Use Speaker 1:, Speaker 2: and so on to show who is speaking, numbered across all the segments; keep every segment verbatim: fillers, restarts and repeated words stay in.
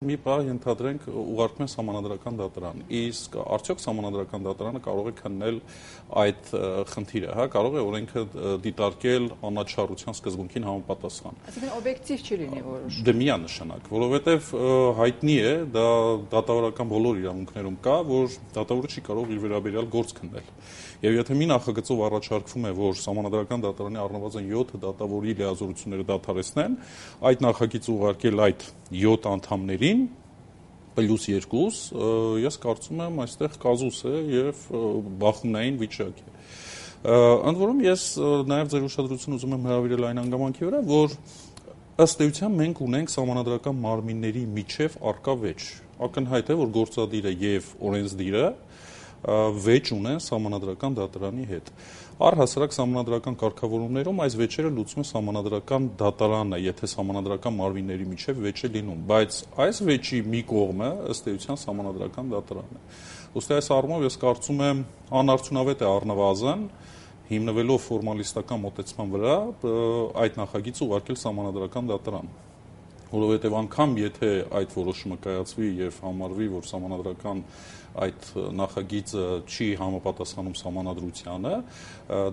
Speaker 1: Մի բան ենթադրենք ուղարկում են սահմանադրական դատարան, իսկ արդյոք սահմանադրական դատարանը կարող է քննել այդ խնդիրը, հա, կարող է օրենքը դիտարկել անաչառության սկզբունքին համապատասխան։
Speaker 2: Այսինքն օբյեկտիվ չի լինի որոշումը։
Speaker 1: Դե միանշանակ, որովհետև հայտնի է, դա դատավորական բոլոր իրավունքներում կա, որ դատավորը չի կարող իր վերաբերյալ գործ քննել։ Եվ եթե մի նախագծով առաջարկվում է, որ սահմանադրական դատարանի առնվազն յոթ դատավորի լիազորությունները դադարեցնեն, այդ նախագիծը ուղարկել այդ յոթ անդամներին պլյուս երկուս, ես կարծում եմ այստեղ կազուս է եւ բախումնային վիճակ է։ Ընդ որում ես նաեւ ձեր ուշադրությունը ուզում եմ հրավիրել այն հանգամանքի վրա, որ ըստ էության մենք ունենք սահմանադրական մարմինների միջև արկա վեճ։ Ակնհայտ է, որ գործադիրը եւ օրենսդիրը վեճ ունեն սահմանադրական դատարանի հետ։ Առհասարակ սահմանադրական կարգավորումներում այս վեճերը լուծում է սահմանադրական դատարանը, եթե սահմանադրական մարմինների միջև վեճ է լինում, բայց այս վեճի մի կողմը ըստ էության սահմանադրական դատարանն է։ Ուստի այս առումով ես կարծում եմ անարդյունավետ է առնվազն հիմնվելով ֆորմալիստական մոտեցման վրա այդ նախագիծը ուղարկել սահմանադրական դատարան, որովհետև անգամ եթե այդ որոշումը կայացվի եւ համարվի, որ սահմանադրական այդ նախագիծը չի համապատասխանում սահմանադրությանը,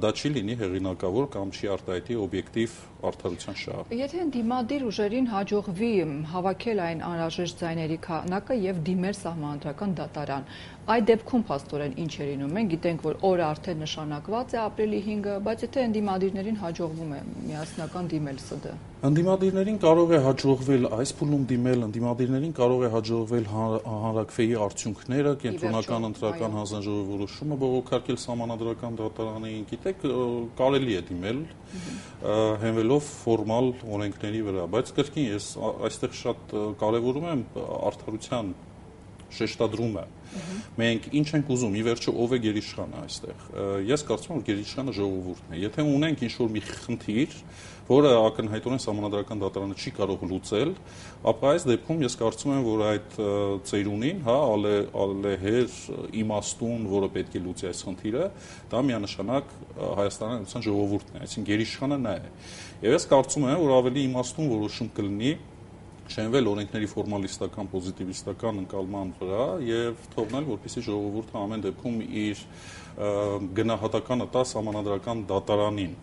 Speaker 1: դա չի լինի հեղինակավոր կամ չի արտահայտի օբյեկտիվ արդարության շահ։
Speaker 2: Եթե դիմադիր ուժերին հաջողվի հավաքել այն անհրաժեշտ ձայների քանակը եւ դիմել սահմանադրական դատարան, այդ դեպքում փաստորեն ինչ է լինում։ Մենք գիտենք, որ օրը արդեն նշանակված է ապրիլի հինգը, բայց եթե ընդդիմադիրներին հաջողվում է միասնական դիմել ՍԴ։
Speaker 1: Ընդդիմադիրներին կարող է հաջողվել այս փուլում դիմել, ընդդիմադիրներին կարող է հաջողվել հանրաքվեի արդյունքները, կենտրոնական ընտրական հանձնաժողովի որոշումը բողոքարկել սահմանադրական դատարանին, գիտեք, կարելի է դիմել հենվելով ֆորմալ օրենքների վրա, բայց կրկին ես այստեղ շատ կարևորում եմ արդարության շեշտադրումը։ Մենք ինչ ենք ուզում, ի վերջո ով է գերիշխանը այստեղ։ Ես կարծում եմ, որ գերիշխանը ժողովուրդն է։ Եթե ունենք ինչ-որ մի խնդիր, որը ակնհայտորեն սահմանադրական դատարանը չի կարող լուծել, ապա այս դեպքում ես կարծում եմ, որ այդ ծերունին, հա, ալեհեր իմաստուն, որը պետք է լուծի այս խնդիրը, դա միանշանակ Հայաստանի Հանրապետության ժողովուրդն է, այսինքն գերիշխանը նա է։ Եվ ես կարծում եմ, որ ավելի իմաստուն որոշում կլինի շենվել օրենքների ֆորմալիստական, պոզիտիվիստական ընկալման վրա եւ թողնել, որպեսզի ժողովուրդը ամեն դեպքում իր գնահատականը տա սահմանադրական դատարանին։